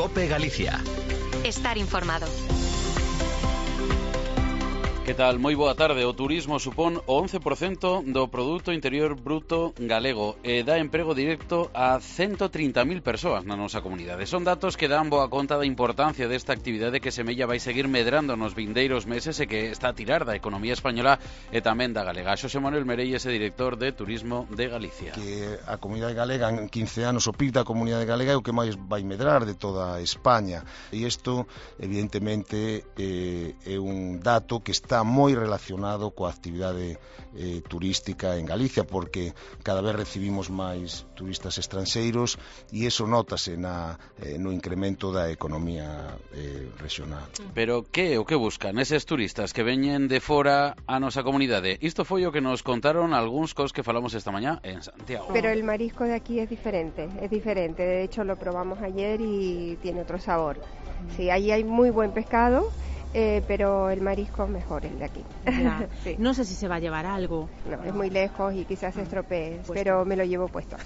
COPE Galicia. Estar informado. Que tal? Moi boa tarde. O turismo supón o 11% do Produto Interior Bruto galego e dá emprego directo a 130.000 persoas na nosa comunidade. Son datos que dan boa conta da importancia desta actividade que semella vai seguir medrando nos vindeiros meses e que está a tirar da economía española e tamén da galega. Xosé Manuel Merelles é director de Turismo de Galicia. Que a comunidade galega en 15 anos, o PIB da comunidade galega é o que máis vai medrar de toda España. E isto, evidentemente, é un dato que está moi relacionado coa actividade turística en Galicia, porque cada vez recibimos máis turistas estranxeiros e iso nótase no incremento da economía regional. Pero que o que buscan eses turistas que veñen de fora a nosa comunidade? Isto foi o que nos contaron algúns cos que falamos esta mañá en Santiago. Pero el marisco de aquí es diferente. De hecho lo probamos ayer y tiene otro sabor. Sí, ahí hay muy buen pescado. Pero el marisco es mejor el de aquí. Sí. No sé si se va a llevar algo. No, es muy lejos y quizás se estropee, pero me lo llevo puesto.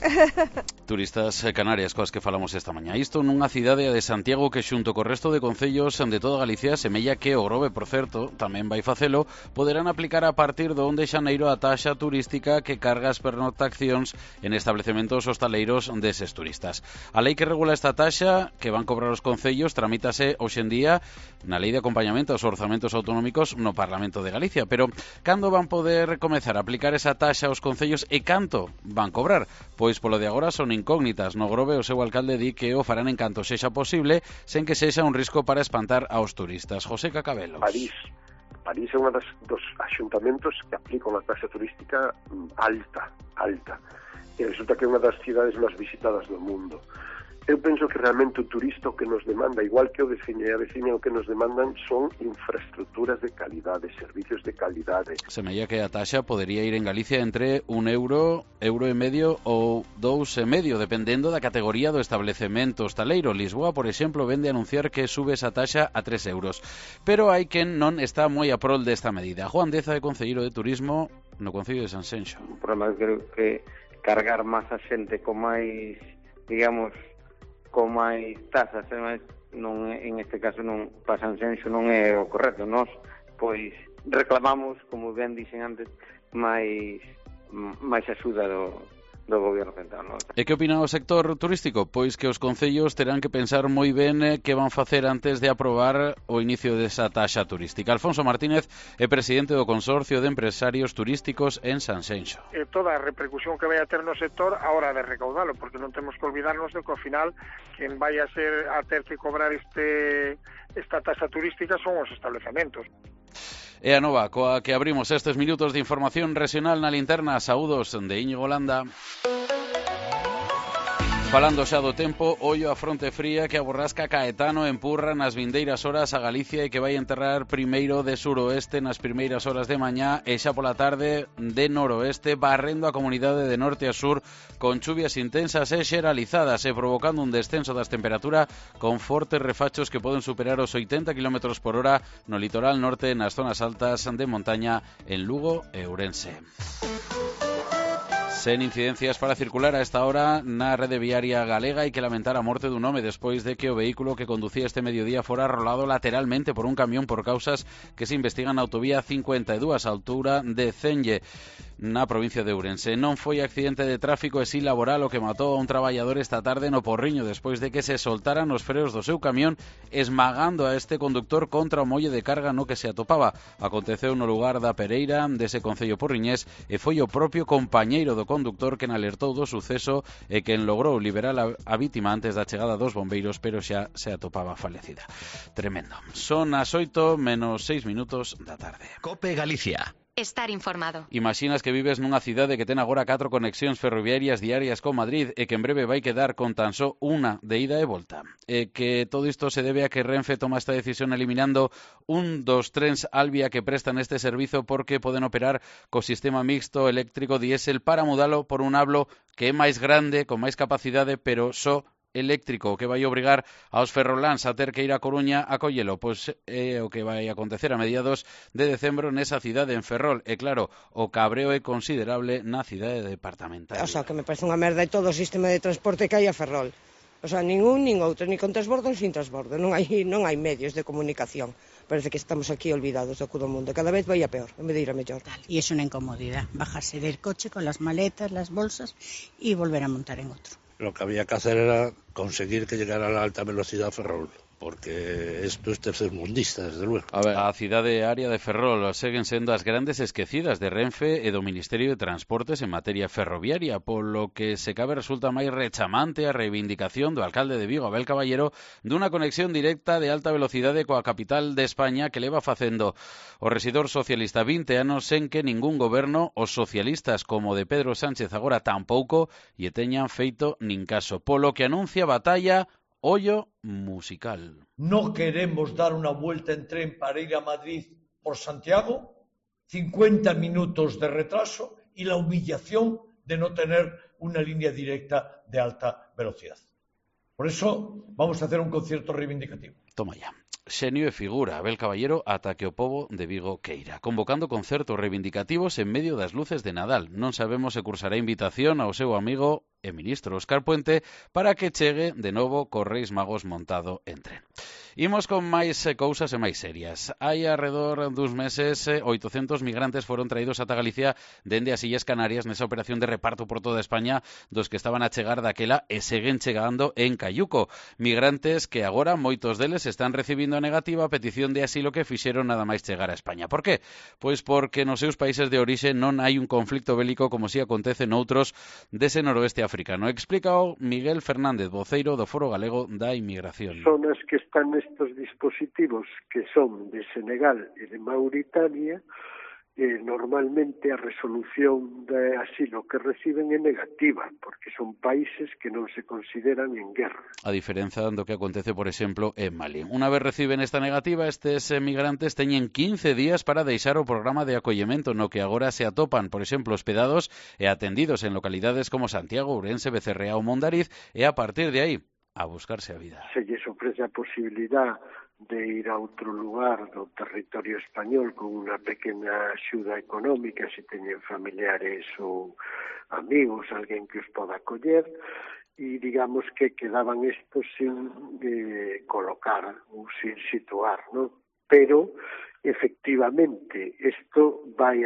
Turistas canarias coas que falamos esta mañá. Isto nunha cidade de Santiago que xunto co resto de concellos de toda Galicia semella que o Grove, por certo, tamén vai facelo, poderán aplicar a partir do 1 de xaneiro a taxa turística que carga as pernoctacións en establecementos hostaleiros deses turistas. A lei que regula esta taxa que van cobrar os concellos tramítase hoxendía na lei de acompañamento aos orzamentos autonómicos no Parlamento de Galicia, pero cando van poder comezar a aplicar esa taxa aos concellos e canto van cobrar? Pois polo de agora son incógnitas. No Grove o seu alcalde di que o farán en canto sexa posible, sen que sexa un risco para espantar aos turistas. José Cacabelos. París é un dos axuntamentos que aplican a taxa turística alta, e resulta que é unha das cidades máis visitadas do mundo. Eu penso que realmente o turista o que nos demanda, igual que o veciño e a veciña, o que nos demandan son infraestructuras de calidade, servicios de calidade. Semella que a taxa podería ir en Galicia entre €1, €1,5 ou €2,5, dependendo da categoría do establecemento hostaleiro. Lisboa, por exemplo, vende a anunciar que sube esa taxa a €3. Pero hai quen non está moi a prol desta medida. Juan Deza é concelleiro de Turismo no Concello de Sanxenxo. O problema é que cargar máis a xente con máis, digamos, con máis tasas, non, en este caso non, para Sanxenxo non é o correcto. Nós, pois, reclamamos, como ben dixen antes, máis axuda do goberno central. No? E que opina o sector turístico? Pois que os concellos terán que pensar moi ben que van facer antes de aprobar o inicio desa taxa turística. Alfonso Martínez é presidente do Consorcio de Empresarios Turísticos en Sanxenxo. Toda a repercusión que vai a ter no sector a hora de recaudalo, porque non temos que olvidarnos de que ao final quen vai a ter que cobrar esta taxa turística son os establecementos. E a nova coa que abrimos estes minutos de información regional na linterna. Saúdos de Íñigo Landa. Falando xa do tempo, ollo a fronte fría que a borrasca Caetano empurra nas vindeiras horas a Galicia e que vai enterrar primeiro de suroeste nas primeiras horas de mañá e xa pola tarde de noroeste, barrendo a comunidade de norte a sur con chuvias intensas e xeralizadas e provocando un descenso das temperaturas con fortes refachos que poden superar os 80 km/h no litoral norte e nas zonas altas de montaña en Lugo e Ourense. Sen incidencias para circular a esta hora na rede viaria galega. Hai que lamentar a morte dun home despois de que o vehículo que conducía este mediodía fora rolado lateralmente por un camión por causas que se investigan na autovía 52 a altura de Cenlle, na provincia de Ourense. Non foi accidente de tráfico e si laboral o que matou a un traballador esta tarde no Porriño despois de que se soltaran os freos do seu camión esmagando a este conductor contra o molle de carga no que se atopaba. Aconteceu no lugar da Pereira dese concello porriñés e foi o propio compañeiro do conductor quen alertou do suceso e quen logrou liberar a vítima antes da chegada dos bombeiros, pero xa se atopaba falecida. Tremendo. Son as 8:06 da tarde. COPE Galicia. Estar informado. Imaxinas que vives nunha cidade que ten agora 4 conexións ferroviarias diarias con Madrid e que en breve vai quedar con tan só unha de ida e volta. E que todo isto se debe a que Renfe toma esta decisión eliminando un dos trens Alvia que prestan este servizo porque poden operar co sistema mixto eléctrico diésel para mudalo por un hablo que é máis grande, con máis capacidade, pero só eléctrico, que vai obrigar aos ferroláns a ter que ir a Coruña a collelo. Pois é o que vai acontecer a mediados de decembro nesa cidade en Ferrol. E claro, o cabreo é considerable na cidade departamental. O sea, que me parece unha merda e todo o sistema de transporte que hai a Ferrol. O sea, nin un nin outro, ni con transbordo nin sin transbordo. Non hai medios de comunicación. Parece que estamos aquí olvidados do todo o mundo. Cada vez vai a peor, en vez de ir a mellor. Y es una incomodidad, bajarse del coche con las maletas, las bolsas y volver a montar en otro. Lo que había que hacer era conseguir que llegara a la alta velocidad Ferrol, porque isto é tercermundista, desde luego. A cidade área de Ferrol seguen sendo as grandes esquecidas de Renfe e do Ministerio de Transportes en materia ferroviaria, polo que se cabe resulta máis rechamante a reivindicación do alcalde de Vigo, Abel Caballero, dunha conexión directa de alta velocidade coa capital de España que leva facendo o rexedor socialista 20 anos sen que ningún goberno, os socialistas como de Pedro Sánchez agora tampouco, lle teñan feito nin caso, polo que anuncia batalla Ollo musical. No queremos dar una vuelta en tren para ir a Madrid por Santiago, 50 minutos de retraso y la humillación de no tener una línea directa de alta velocidad. Por eso vamos a hacer un concierto reivindicativo. Toma ya. Xenio e figura, Abel Caballero ata que o pobo de Vigo queira, convocando concertos reivindicativos en medio das luces de Nadal. Non sabemos se cursará invitación ao seu amigo e ministro Óscar Puente para que chegue de novo cos Reis Magos montado en tren. Imos con máis cousas e máis serias. Hai alrededor duns meses 800 migrantes foron traídos ata Galicia dende as Illas Canarias nesa operación de reparto por toda España dos que estaban a chegar daquela e seguen chegando en Cayuco. Migrantes que agora moitos deles están recibindo a negativa a petición de asilo que fixeron nada máis chegar a España. Por qué? Pois porque nos seus países de orixe non hai un conflicto bélico como si acontece noutros dese noroeste africano. Explícao Miguel Fernández, voceiro do Foro Galego da Inmigración. Son as que están estos dispositivos que son de Senegal e de Mauritania, normalmente a resolución de asilo que reciben é negativa, porque son países que non se consideran en guerra. A diferenza do que acontece, por exemplo, en Mali. Unha vez reciben esta negativa, estes migrantes teñen 15 días para deixar o programa de acollemento no que agora se atopan, por exemplo, hospedados e atendidos en localidades como Santiago, Ourense, Becerrea ou Mondariz, e a partir de aí a buscarse a vida. Se lles ofrece a posibilidad de ir a outro lugar do territorio español con unha pequena axuda económica, se teñen familiares ou amigos, alguén que os poda acoller, e digamos que quedaban estos sin colocar ou sin situar, ¿no? Pero efectivamente isto vai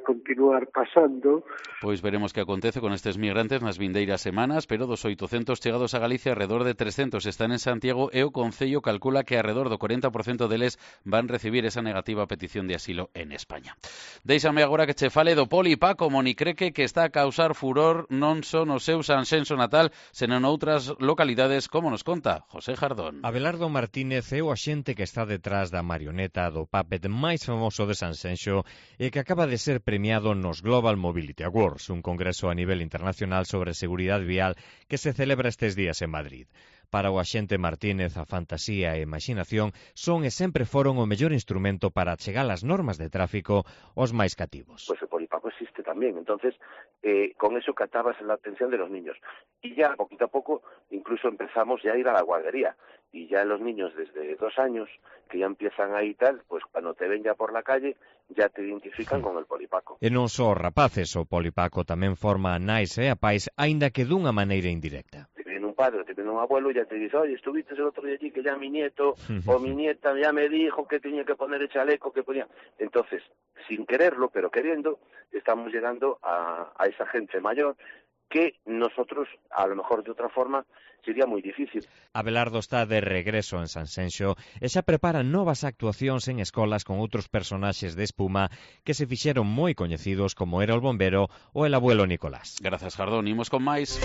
continuar pasando. Pois veremos que acontece con estes migrantes nas vindeiras semanas, pero dos 800 chegados a Galicia, alrededor de 300 están en Santiago e o Concello calcula que alrededor do 40% deles van recibir esa negativa petición de asilo en España. Déixame agora que che fale do Polipaco Monicreque, que está a causar furor non só no seu Sanxenxo natal, senón noutras localidades, como nos conta José Jardón. Abelardo Martínez é o axente que está detrás da marioneta do puppet máis famoso de Sanxenxo e que acaba de ser premiado nos Global Mobility Awards, un congreso a nivel internacional sobre seguridade vial que se celebra estes días en Madrid. Para o axente Martínez, a fantasía e a imaginación son e sempre foron o mellor instrumento para chegar as normas de tráfico aos máis cativos. Pues o Polipaco existe también, entonces con eso captabas la atención de los niños. Y ya poquito a poco incluso empezamos ya a ir a la guardería. Y ya los niños desde 2 años que ya empiezan ahí tal, pues cuando te ven ya por la calle ya te identifican con el Polipaco. E non só rapaces, o Polipaco tamén forma a nais e a pais, aínda que dunha maneira indirecta. Te viene un padre, te viene un abuelo y ya te dice, oye, estuviste el otro día allí que ya mi nieto o mi nieta ya me dijo que tenía que poner el chaleco, que ponía. Entonces, sin quererlo, pero queriendo, estamos llegando a esa gente mayor que nosotros, a lo mejor de otra forma, sería moi difícil. Abelardo está de regreso en Sanxenxo e xa prepara novas actuacións en escolas con outros personaxes de espuma que se fixeron moi coñecidos como era o bombero ou el abuelo Nicolás. Grazas, Jardón. Imos con máis.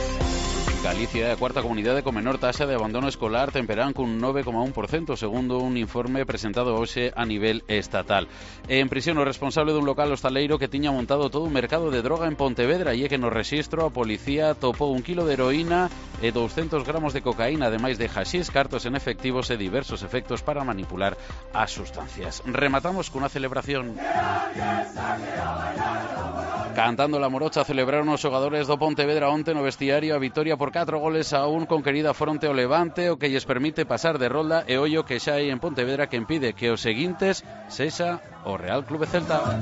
Galicia é a cuarta comunidade con menor taxa de abandono escolar, temperán cun 9,1%, segundo un informe presentado hoxe a nivel estatal. En prisión o responsable dun local hostaleiro que tiña montado todo un mercado de droga en Pontevedra e é que no rexistro a policía topou 1 kilo de heroína e 200 gramos de cocaína, ademais de haxís, cartos en efectivos e diversos efectos para manipular as sustancias. Rematamos cunha celebración. Cantando la morocha celebraron os xogadores do Pontevedra onte no vestiario a vitoria por 4-1 conquerida fronte ao Levante, o que lles permite pasar de rolda e ollo que xa hai en Pontevedra que impide que os seguintes sexa o Real Clube Celta.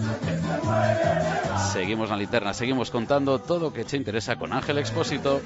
Seguimos na linterna, seguimos contando todo o que che interesa con Ángel Expósito.